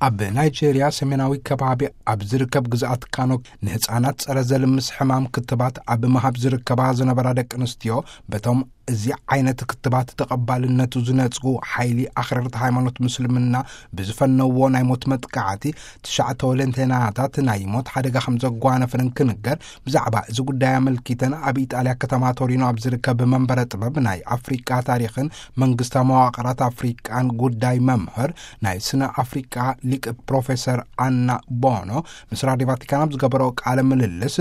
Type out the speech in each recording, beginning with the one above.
ኣብ ናይጄርያ ሰሜናዊ ከባቢ ኣብ ዝርከብ ግዝኣት ካኖ፣ ንህፃናት ጸረ ዘልምስ ሕማም ክትባት ኣብ ምሃብ ዝርከባ ዝነበራ ደቂ ኣንስትዮ፣ በቶም እዚ ዓይነት ክትባት ተቐባልነቱ ዝነጽጉ ሓይሊ ኣኽረርቲ ሃይማኖት ምስልምና ብዝፈነዎ ናይ ሞት መጥቃዕቲ፣ ትሽዓተ ወለንተናታት ናይ ሞት ሓደጋ ከም ዘጓነፈን ክንገር። ብዛዕባ እዚ ጉዳይ ኣመልኪተን ኣብ ኢጣልያ ከተማ ቶሪኖ ኣብ ዝርከብ መንበረ ጥበብ ናይ ኣፍሪቃ ታሪኽን መንግስታዊ መዋቕራት ኣፍሪቃን ጉዳይ መምህር፣ ናይ ስነ ኣፍሪቃ ሊቅ ፕሮፌሰር ኣና ቦኖ ምስ ራድዮ ቫቲካን ኣብ ዝገበሮ ቃለ ምልልስ፣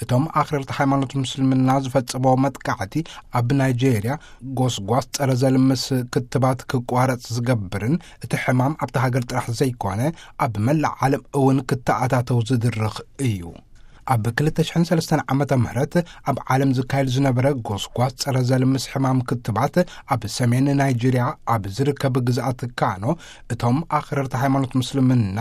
እቶም ኣኽረርቲ ሃይማኖት ምስልምና ዝፈጸሞ መጥቃዕቲ ኣብ ናይጄርያ ጎስጓስ ጸረ ዘልምስ ክትባት ክቋረጽ ዝገብርን፣ እቲ ሕማም ኣብቲ ሃገር ጥራሕ ዘይኮነ ኣብ መላእ ዓለም እውን ክተኣታተው ዝድርኽ እዩ። ኣብ ክልተ ሽሕን ሰለስተን ዓመተ ምህረት ኣብ ዓለም ዝካየድ ዝነበረ ጎስጓስ ጸረ ዘልምስ ሕማም ክትባት፣ ኣብ ሰሜን ናይጄርያ ኣብ ዝርከብ ግዝኣት ካኖ፣ እቶም ኣኽረርቲ ሃይማኖት ምስልምና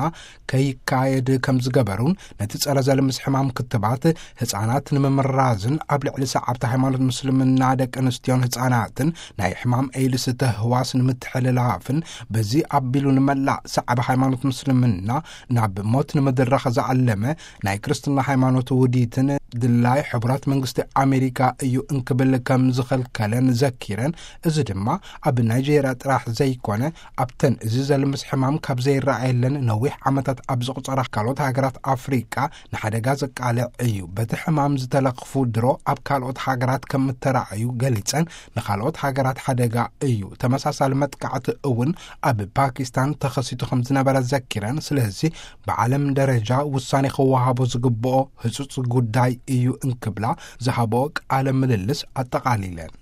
ከይካየድ ከም ዝገበሩን፣ ነቲ ጸረ ዘልምስ ሕማም ክትባት ህጻናት ንምምራዝን ኣብ ልዕሊ ሰዓብቲ ሃይማኖት ምስልምና ደቂ ኣንስትዮን ህጻናትን ናይ ሕማም ኤድስ ተህዋስ ንምትሕልላፍን፣ በዚ ኣቢሉ ንመላእ ሰዓቢ ሃይማኖት ምስልምና ናብ ሞት ንምድራኽ ዝዓለመ ናይ ክርስትና ሃይማኖት ውዲትን ድላይ ሕቡራት መንግስቲ ኣሜሪካ እዩ እንክብል ከም ዝኸልከለን ዘኪረን፣ እዚ ድማ ኣብ ናይጄርያ ጥራሕ ዘይኮነ፣ ኣብተን እዚ ዘልምስ ሕማም ካብ ዘይረኣየለን ነዊሕ ዓመታት ኣብ ዝቑጸራ ካልኦት ሃገራት ኣፍሪቃ ንሓደጋ ዘቃልዕ እዩ። በቲ ሕማም ዝተለኽፉ ድሮ ኣብ ካልኦት ሃገራት ከም እተራእዩ ገሊጸን፣ ንኻልኦት ሃገራት ሓደጋ እዩ። ተመሳሳሊ መጥቃዕቲ እውን ኣብ ፓኪስታን ተኸሲቱ ከም ዝነበረ ዘኪረን፣ ስለዚ ብዓለም ደረጃ ውሳኔ ክወሃቦ ዝግብኦ ህጹጽ ጉዳይ እዩ እንክብላ ዝሃብኦ ቃለ ምልልስ ኣጠቓሊለን።